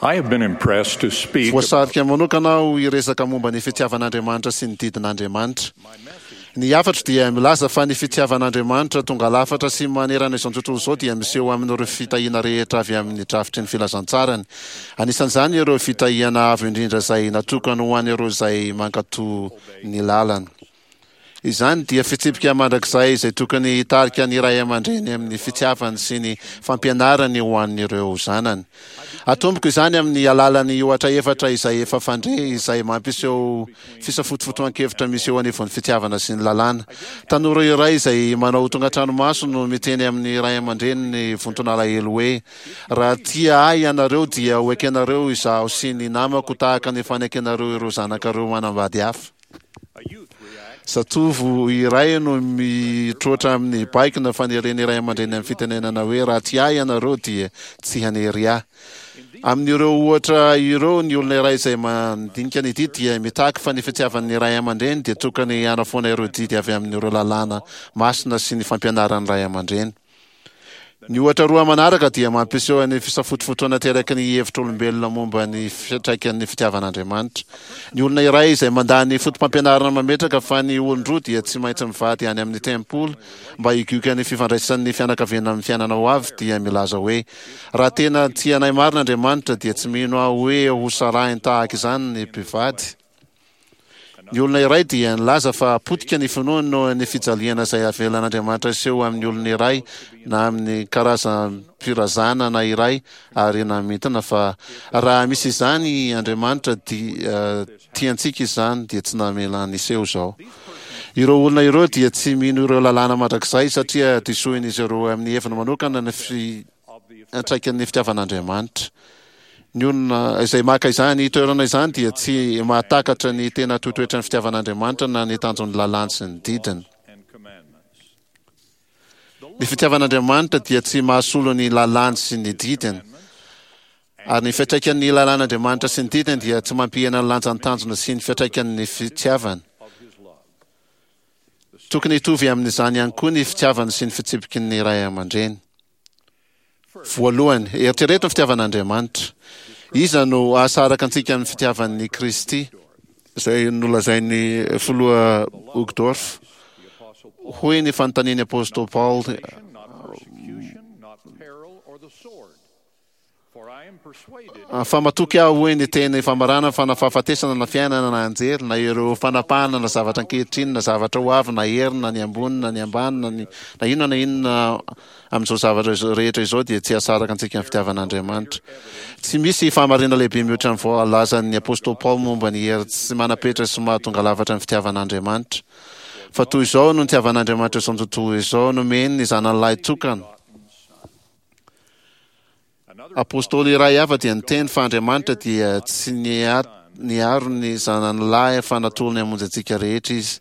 I have been impressed to speak Voasarika manokana aho hiresaka momba ny fitiavan'Andriamanitra sy ny didin'Andriamanitra. Ny hafatro dia milaza fa ny fitiavan'Andriamanitra tonga lafatra sy manerana izao tontolo izao dia miseho amin'ireo fitahiana rehetra avy amin'ny drafitry ny filazantsarany. Anisan'izany ireo fitahiana avo indrindra izay natokany ho an'ireo izay mankatò ny lalany. Izany dia fitsipika mandrakizay izay tokony hitarika ny ray aman-dreny amin'ny fitiavany sy ny fampianarany ho an'ireo zanany. Atomboko izany amin'ny alalan'ny ohatra efatra izay efa fandre izay mampiseho fisafotofotoan-kevitra misy eo anivon'ny fitiavana sy ny lalàna. Tanora iray izay manao tonga an-tranomaso no miteny amin'ny ray aman-dreniny vonton'alahelo hoe, Raha tia ahy ianareo dia ho ekenareo izaho sy ny namako tahaka ny fanekenareo ireo zanakareo manambady hafa. Zatovo iray no mitroatra amin'ny baiko na faneren'ny ray aman-dreny amin'ny fitenenana hoe raha tia ahy ianareo dia tsy hanery ahy. Amin'ireo ohatra ireo, ny olona iray izay mandinika ny didy dia mitaky fa ny fitiavan'ny ray aman-dreny dia tokony hanafoana ireo didy avy amin'ireo lalàna masina sy ny fampianaran'ny ray aman-dreny. Ny ohatra roa manaraka dia mampiseho ny fisafotofotoana ateraky ny hevitr'olombelona momba ny fiantraikan'ny fitiavan'Andriamanitra. Ny olona iray izay mandà ny fotopampianarana mametraka fa ny olon-droa dia tsy maintsy mivady any amin'ny tempoly mba higioka ny fifandraisan'ny fianakaviana amin'ny fiainana ho avy dia milaza hoe, Raha tena tia anay marina Andriamanitra dia tsy mino aho hoe hosarahiny tahaka izany ny mpivady. Ny olona iray dia nilaza fa potika ny finoany noho ny fijaliana izay avelan'Andriamanitra hiseho amin'ny olona iray na amin'ny karazam-pirazanana iray ary namintina fa raha misy izany Andriamanitra dia tia antsika izany dia tsy namela niseho izao. Ireo olona ireo dia tsy mino ireo lalàna mandrakizay satria disoin'izy ireo amin'ny heviny manokana ny fiantraikan'ny fitiavan'Andriamanitra. Ny olona izay maka izany toerana izany dia tsy mahatakatra ny tena toetoetran'ny fitiavan'Andriamanitra na ny tanjon'ny lalàny sy ny didiny. Ny fitiavan'Andriamanitra dia tsy mahasolo ny lalàny sy ny didiny. Ary ny fiantraikan'ny lalàn'Andriamanitra sy ny didiny dia tsy mampihena ny lanjan'ny tanjona sy ny fiantraikan'ny fitiavany. Tokony hitovy amin'izany ihany koa ny fitiavany sy ny fitsipiky ny ray aman-dreny. Voalohany, eritrereto ny fitiavan'Andriamanitra. Iza no hahasaraka antsika amin'ny fitiavan'i Kristy? Izay nolazain'ny filoha Uchtdorf. Hoy ny fanontanian'ny apostoly Paoly, Fa matoky aho, hoy ny teny famaranana, fa na fahafatesana na fiainana na anjely na ireo fanapahana na zavatra ankehitriny na zavatra ho avy na hery na ny ambony na ny ambany na ny na inona na inona amin'izao zavatra izao rehetra izao dia tsy hahasaraka antsika amin'ny fitiavan'Andriamanitra. Tsy misy fahamarinana lehibe mihoatra ny voalazan'ny apostoly Paoly momba ny hery tsy manam-petra sy mahatonga lafatra ny fitiavan'Andriamanitra. Fa toy izao no nitiavan'Andriamanitra izao tontolo izao, nomeny ny Zanany lahy tokana. Apostoly iray hafa dia niteny fa Andriamanitra dia tsy niaro ny Zanany lahy fa natolony hamonjy antsika rehetra Izy.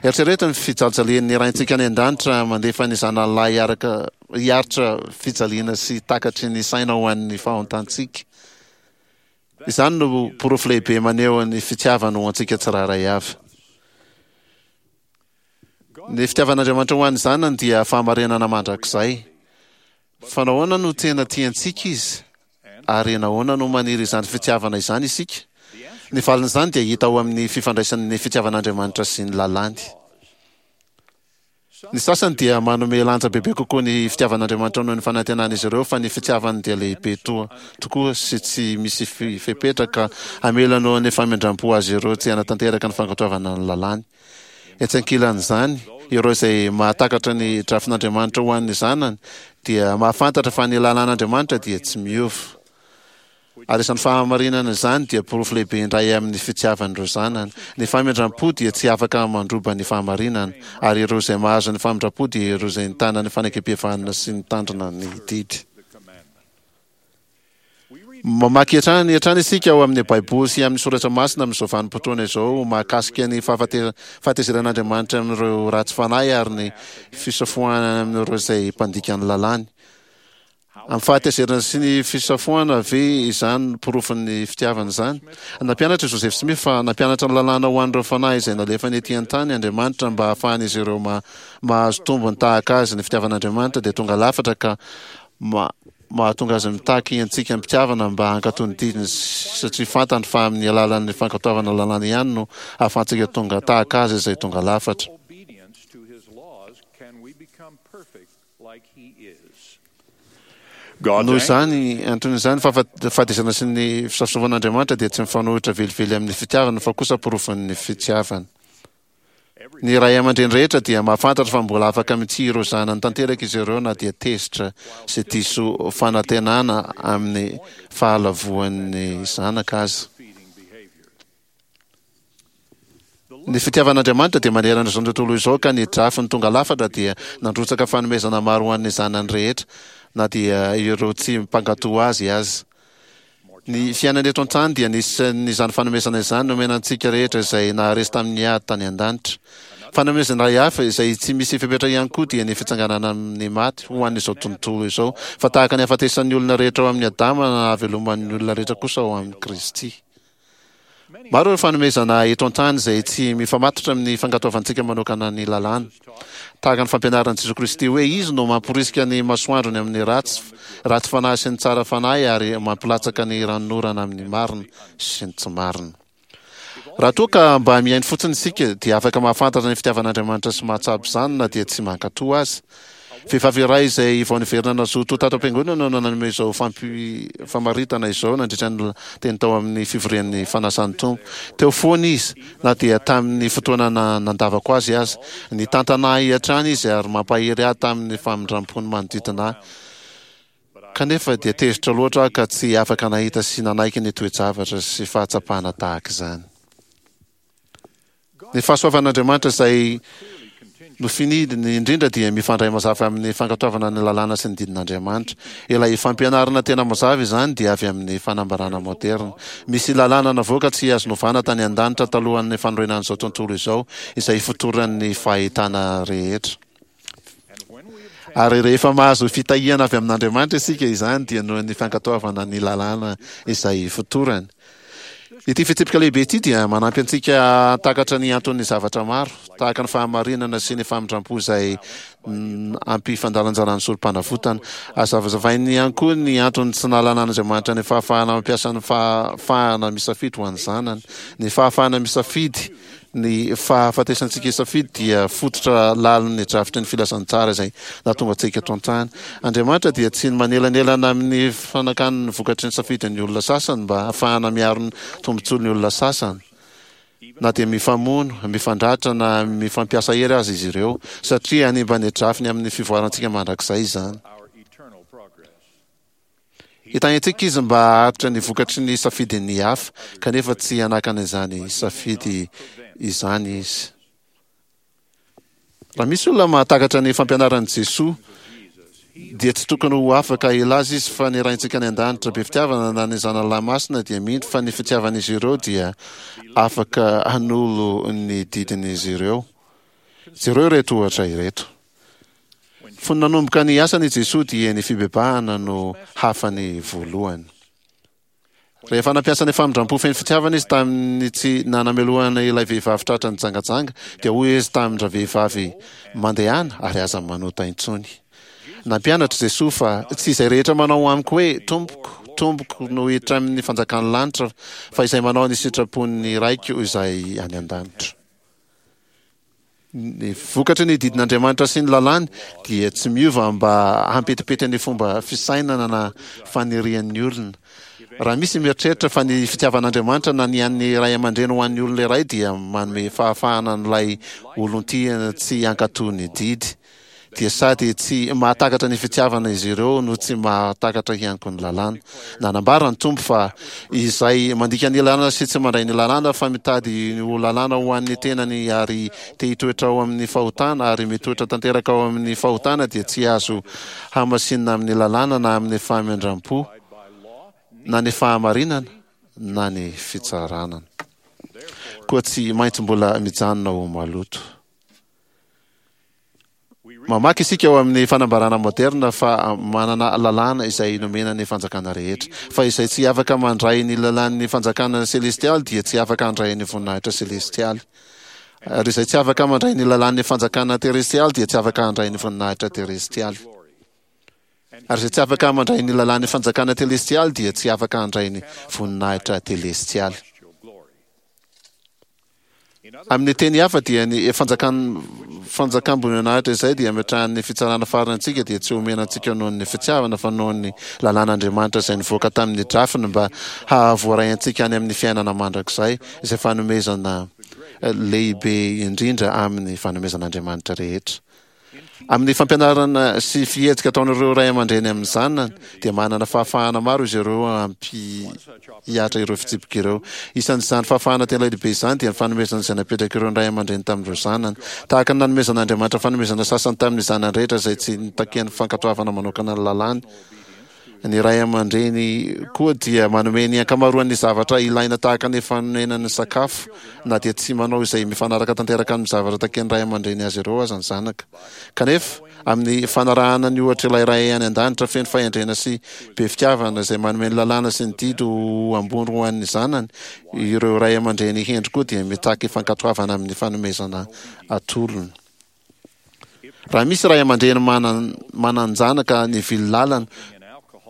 Eritrereto ny fijalijalian'ny Raintsika any An-danitra mandefa ny Zanany lahy hiaraka hiaritra fijaliana sy takatry ny saina ho an'ny fahontantsika. Izany no porofo lehibe maneho ny fitiavany ho antsika tsirairay avy. Ny fitiavan'Andriamanitra ho an'ny zanany dia fahamarinana mandrakizay. Fa nahoana no tena tia antsika Izy? Ary nahoana no maniry izany fitiavana izany isika? Ny valin'izany dia hita ao amin'ny fifandraisan'ny fitiavan'Andriamanitra sy ny lalàny. Ny sasany dia manome lanja bebe kokoa ny fitiavan'Andriamanitra noho ny fanantenan'izy ireo fa ny fitiavany dia lehibe toa tokoa sy tsy misy fepetra ka hamela noho ny famindram-po azy ireo tsy hanatanteraka ny fankatoavana ny lalàny. Etsy ankilan'izany, ireo izay mahatakatra ny drafin'Andriamanitra ho an'ny zanany dia mahafantatra fa ny lalàn'Andriamanitra dia tsy miova. Ary izany fahamarinana izany dia porofo lehibe indray amin'ny fitiavan'ireo zanany. Ny famindram-po dia tsy afaka mandroba ny fahamarinana, ary ireo izay mahazo ny famindram-po dia ireo izay nitana ny fanekempihavanana sy nitandrina ny didy. Mamaky hatrany hatrany isika ao amin'ny Baiboly sy amin'ny Soratra Masina amin'izao vanim-potoana izao mahakasika ny fahatezeran'Andriamanitra amin'ireo ratsy fanahy ary ny fisafoahana amin'ireo izay mpandika ny lalàny. Amin'ny fahatezerana sy ny fisafoahana ve izany no porofon'ny fitiavana izany? Nampianatra i Joseph Smith fa nampianatra ny lalàna ho an'ireo fanahy izay nalefany ety an-tany Andriamanitra mba hahafahan'izy ireo mahazo tombony tahaka azy. Ny fitiavan'Andriamanitra dia tonga lafatra ka. mahatonga azy mitaky antsika am-pitiavana mba hankatò ny didiny satria fantany fa amin'ny alalan'ny fankatoavana lalàna ihany no ahafahantsika tonga tahaka azy izay tonga lafatra. Noho izany antony izany, fahafatesana sy ny fisafosafoan'Andriamanitra dia tsy mifanohitra velively amin'ny fitiavana fa kosa porofon'ny fitiavana. Ny ray aman-dreny rehetra dia mahafantatra fa mbola afaka mitia ireo zanany tanteraka izy ireo na dia tezitra sy diso fanantenana amin'ny fahalavoan'ny zanaka aza. Ny fitiavan'Andriamanitra dia manerana izao tontolo izao ka ny drafiny tonga lafatra dia nandrotsaka fanomezana maro ho an'ny zanany rehetra na dia ireo tsy mpankato azy aza. Ny fiainana eto an-tany dia nisan'izany fanomezana izany nomena antsika rehetra izay naharesy tamin'ny ady tany an-danitra. Fanomezana iray hafa izay tsy misy fepetra ihany koa dia ny fitsanganana amin'ny maty ho an'izao tontolo izao, fa tahaka ny hahafatesan'ny olona rehetra ao amin'i Adama na hahaveloman'ny olona rehetra kosa ao amin'i Kristy. Maro ireo fanomezana eto an-tany izay tsy mifamatotra amin'ny fankatoavantsika manokana ny lalàna. Tahaka ny fampianaran'i Jesoa Kristy hoe Izy no mamporisika ny masoandrony amin'ny ratsy ratsy fanahy sy ny tsara fanahy ary mampilatsaka ny ranonorana amin'ny marina sy ny tsy marina. Raha toa ka mba mihaino fotsiny isika dia afaka mahafantatra ny fitiavan'Andriamanitra sy mahatsapa izany na dia tsy mankatò aza. Vehivavy iray izay vao niverina nazoto tato am-piangonana no nanome izao famaritana izao nandritra ny teny tao amin'ny fivorian'ny Fanasan'ny Tompo. Teo foana izy, na dia tamin'ny fotoana nandavako azy aza. Nitantana ahy hatrany izy ary mampahery ahy tamin'ny famindrampony manodidina ahy. Kanefa dia tezitra loatra aho ka tsy afaka nahita sy nanaiky ny toe-javatra sy fahatsapana tahaka izany. Ny fahasoavan'Andriamanitra izay nofinidiny indrindra dia mifandray mazava amin'ny fankatoavana ny lalàna sy ny didin'Andriamanitra. Ilay fampianarana tena mazava izany dia avy amin'ny fanambarana moderina. Misy lalàna navoaka tsy azo novana tany an-danitra talohan'ny fanorenan'izao tontolo izao, izay ifotoran'ny fahitana rehetra. Ary rehefa mahazo fitahiana avy amin'Andriamanitra isika, izany dia noho ny fankatoavana ny lalàna izay ifotorany. Ity fitsipika lehibe ity dia manampy antsika hahatakatra ny anton'ny zavatra maro, tahaka ny fahamarinana sy ny famindram-po izay ampifandalanjalan'ny sorom-panavotana. Azavazavainy ihany koa ny antony tsy nahalanan'Andriamanitra ny fahafahana mampiasa ny fahafahana misafidy ho an'ny zanany. Ny fahafahana misafidy Ny fahafatesantsika hisafidy dia fototra lalin'ny drafitry ny filazantsara izay nahatonga antsika eto an-tany. Andriamanitra dia tsy manelanelana amin'ny fanakany ny vokatry ny safidin'ny olona sasany mba hahafahana miaro ny tombontsoan'ny olona sasany, na dia mifamono, mifandratra na mifampiasa hery aza izy ireo, satria hanimba ny drafiny amin'ny fivoarantsika mandrakizay izany. Hitahy antsika Izy mba haharitra ny vokatry ny safidin'ny hafa, kanefa tsy hanakana izany safidy izany Izy. Raha misy olona mahatakatra ny fampianaran'i Jesoa, dia tsy tokony ho afaka hilaza izy fa ny Raintsika any An-danitra be fitiavana na ny Zanany Lahy Masina dia mino fa ny fitiavan'izy ireo dia afaka hanolo ny didin'izy ireo. Jereo ireto ohatra ireto. Fony nanomboka ny asany i Jesoa dia ny fibebahana no hafany voalohany. Rehefa nampiasa ny famindram-po feno fitiavana izy tamin'ny tsy nanamelohana ilay vehivavy tratra nijangajanga, dia hoy izy tamin-dravehivavy, Mandehana ary aza manota intsony. Nampianatra Jesoa fa tsy izay rehetra manao amiko hoe, Tompoko, Tompoko no hiditra amin'ny fanjakan'ny lanitra, fa izay manao ny sitrapon'ny Raiko izay any an-danitra. Ny vokatry ny didin'Andriamanitra sy ny lalàny dia tsy miova mba hampetipety ny fomba fisainana na fanirian'ny olona. Raha misy mieritreritra fa ny fitiavan'Andriamanitra na ny an'ny ray aman-dreny ho an'ny olona iray dia manome fahafahana an'ilay olon-tiana tsy hankatò ny didy, dia sady tsy mahatakatra ny fitiavana izy ireo no tsy mahatakatra ihany koa ny lalàna. Nanambara ny Tompo fa izay mandika ny lalàna sy tsy mandray ny lalàna fa mitady ho lalàna ho an'ny tenany ary te hitoetra ao amin'ny fahotana ary mitoetra tanteraka ao amin'ny fahotana dia tsy azo hamasinina amin'ny lalàna na amin'ny famindram-po na ny fahamarinana na ny fitsarana. Koa tsy maintsy mbola mijanona ho maloto. Mamaky isika ao amin'ny fanambarana moderna fa manana lalàna izay nomena ny fanjakana rehetra. Fa izay tsy afaka mandray ny lalàn'ny fanjakana selestialy dia tsy afaka handray ny voninahitra selestialy. Ary izay tsy afaka mandray ny lalàn'ny fanjakana terestialy dia tsy afaka handray ny voninahitra terestialy. Ary izay tsy afaka mandray ny lalàn'ny fanjakana telestialy dia tsy afaka handray ny voninahitra telestialy. Amin'ny teny hafa dia ny fanjakan fanjakam-boninahitra izay dia ametrahan'ny fitsarana farany antsika dia tsy omena antsika noho ny fitiavana fa noho ny lalàn'Andriamanitra izay nivoaka tamin'ny drafiny mba hahavoaray antsika any amin'ny fiainana mandrakizay izay fanomezana lehibe indrindra amin'ny fanomezan'Andriamanitra rehetra. Amin'ny fampianarana sy fihetsika ataon'ireo ray aman-dreny amin'ny zanany, dia manana fahafahana maro izy ireo hampihatra ireo fitsipika ireo. Isan'izany fahafahana tena lehibe izany dia ny fanomezana izay napetrak'ireo ray aman-dreny tamin'ireo zanany. Tahaka ny nanomezan'Andriamanitra fanomezana sasany tamin'ny zanany rehetra izay tsy nitakiany fankatoavana manokana ny lalàny, Ny ray aman-dreny koa dia manome ny ankamaroan'ny zavatra ilaina tahaka ny fanonenany sakafo, na dia tsy manao izay mifanaraka tanteraka amin'ny zavatra takian'ny ray aman-dreny azy ireo aza ny zanaka. Kanefa, amin'ny fanarahana ny ohatr'ilay Ray any An-danitra feno fahendrena sy be fitiavana izay manome ny lalàna sy ny didy ho ambony ho an'ny zanany, ireo ray aman-dreny hendry koa dia mitaky fankatoavana amin'ny fanomezana atolony. Raha misy ray aman-dreny manan-janaka nivily lalana,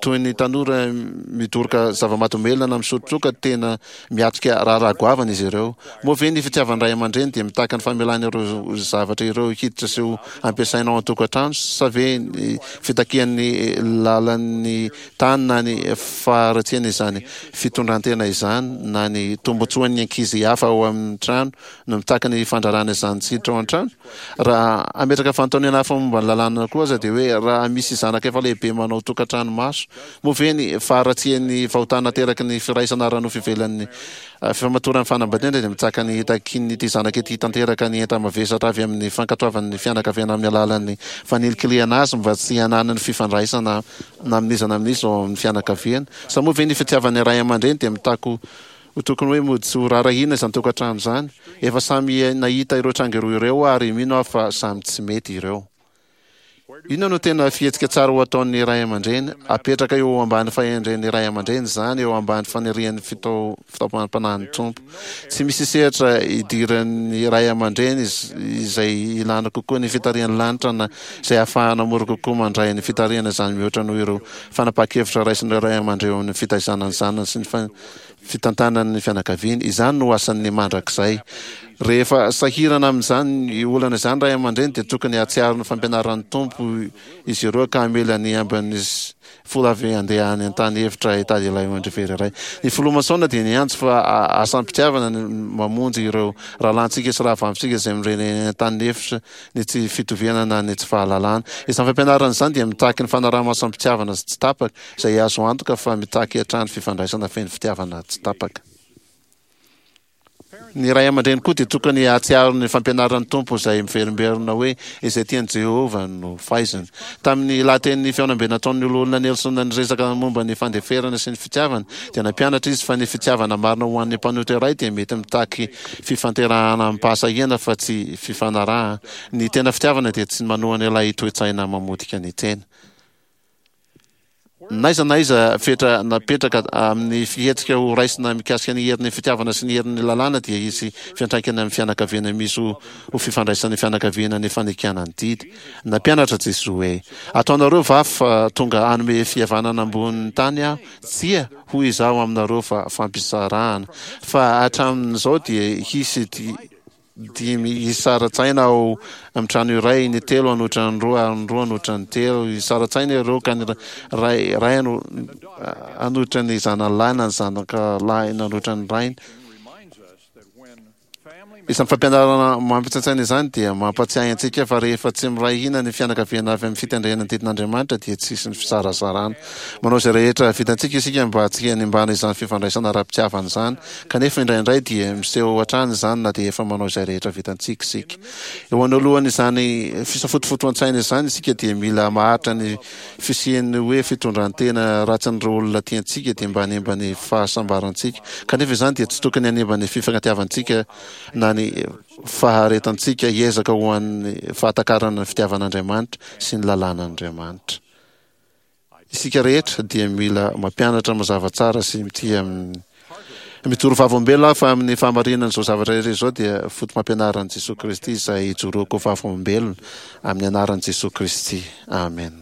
toy ny tanora midoroka zava-mahadomelina na misotro toaka, tena miatrika raharaha goavana izy ireo. Moa ve ny fitiavan'ny ray aman-dreny dia mitaky ny famelana ireo zavatra ireo hiditra sy ho ampiasaina ao an-tokantrano, sa ve ny fitakian'ny lalan'ny tany na ny faharatsiana izany fitondran-tena izany na ny tombontsoan'ny ankizy hafa ao amin'ny trano no mitaky ny fandrarana izany tsy hiditra ao an-trano? Raha hametraka fanontaniana hafa momba ny lalàna koa aza dia hoe raha misy zanaka efa lehibe manao tokantrano maso, moa ve ny faharatsian'ny fahotana ateraky ny firaisana ara-nofo ivelan'ny fifamatoran'ny fanambadiana dia mitsaka ny hitakian'ity zanaka ity tanteraka ny enta-mavesatra avy amin'ny fankatoavan'ny fianakaviana amin'ny alalan'ny fanilikilihana azy mba tsy hananany fifandraisana na amin'iza na amin'iza ao amin'ny fianakaviana? Sa moa ve ny fitiavan'ny ray aman-dreny dia mitaky Ho tokony hoe mody tsy ho rarahina izany tokantrano izany. Efa samy nahita ireo tranga roa ireo aho ary mino aho fa samy tsy mety ireo. Inona no tena fihetsika tsara ho ataon'ny ray aman-dreny? Apetraka eo ambany fahendren'ny ray aman-dreny izany, eo ambany fanirian'ny fitaomam-panahin'ny Tompo. Tsy misy sehatra idiran'ny ray aman-dreny izay ilana kokoa ny fitarihan'ny lanitra na izay ahafahana mora kokoa mandray ny fitarihana izany mihoatra noho ireo fanapahan-kevitra raisin'ireo ray aman-dreny eo amin'ny fitaizana ny zanany sy ny fitantanany ny fianakaviany. Izany no asan'ny mandrakizay. Rehefa sahirana amin'izany olana izany ray aman-dreny dia tokony hahatsiaro ny fampianaran'ny Tompo izy ireo ka hamela ny ambin'ny folo avy handeha any an-tany efitra hitady ilay ondry very iray. Ny filoha Mason dia niantso fa asam-pitiavana ny mamonjy ireo rahalahintsika sy rahavavintsika izay mireny any an-tany efitra ny tsy fitoviana na ny tsy fahalalana. Izany fampianarana izany dia mitaky ny fanaraha-maso am-pitiavana sy tsy tapaka, izay azo antoka fa mitaky hatrany fifandraisana feno fitiavana tsy tapaka. Ny ray aman-dreny koa dia tokony hahatsiaro ny fampianaran'ny Tompo izay miverimberina hoe izay tian'i Jehovah no faiziny. Tamin'ny lahatenin'ny fihaonambe nataon'ny Loholona Nelson niresaka momba ny fandeferana sy ny fitiavana, dia nampianatra izy fa ny fitiavana marina ho an'ny mpanota iray dia mety mitaky fifanterahana amim-pahasahiana fa tsy fifanarahana. Ny tena fitiavana dia tsy manohana ilay toe-tsaina mamotika ny tena. N'aiza n'aiza fetra napetraka amin'ny fihetsika ho raisina mikasika ny herin'ny fitiavana sy ny herin'ny lalàna dia hisy fiantraikany amin'ny fianakaviana misy ho fifandraisan'ny fianakaviana ny fanekena ny didy. Nampianatra Jesoa hoe, Ataonareo va fa tonga hanome fihavanana ambonin'ny tany Aho? Tsia, hoy Izaho aminareo fa fampisarahana. Fa hatramin'izao dia hisy dimy hisara-tsaina ao amin'ny trano iray, ny telo hanohitra ny roa ary ny roa hanohitra ny telo. Hisara-tsaina ireo ka ny ray ray hanohitra ny zanany lahy na ny zanaka lahy nanohitra ny rainy. Izany fampianarana mampitsaintsaina izany dia mampatsiahy antsika fa rehefa tsy miray hina ny fianakaviana avy amin'ny fitandrena ny didin'Andriamanitra dia tsy hisy ny fizarazarana. Manao izay rehetra vitantsika isika mba tsy hanimbana izany fifandraisana ara-pitiavana izany. Kanefa indraindray dia miseho hatrany izany na dia efa manao izay rehetra vitantsika isika. Eo anoloan'izany fisafotofotoan-tsaina izany isika dia mila maharitra ny fisian'ny hoe fitondran-tena ratsin'ireo olona tiantsika dia mba hanimba ny fahasambarantsika. Kanefa izany dia tsy tokony hanimba ny fifankatiavantsika na ny faharetantsika hiezaka ho an'ny fahatakarana ny fitiavan'Andriamanitra sy ny lalàn'Andriamanitra. Isika rehetra dia mila mampianatra mazava tsara sy mitia amin'ny Mijoro vavolombelona aho fa amin'ny fahamarinan'izao zavatra rehetra izao dia foto-pampianaran'i Jesoa Kristy izay ijoroako vavolombelona amin'ny anaran'i Jesoa Kristy. Amen.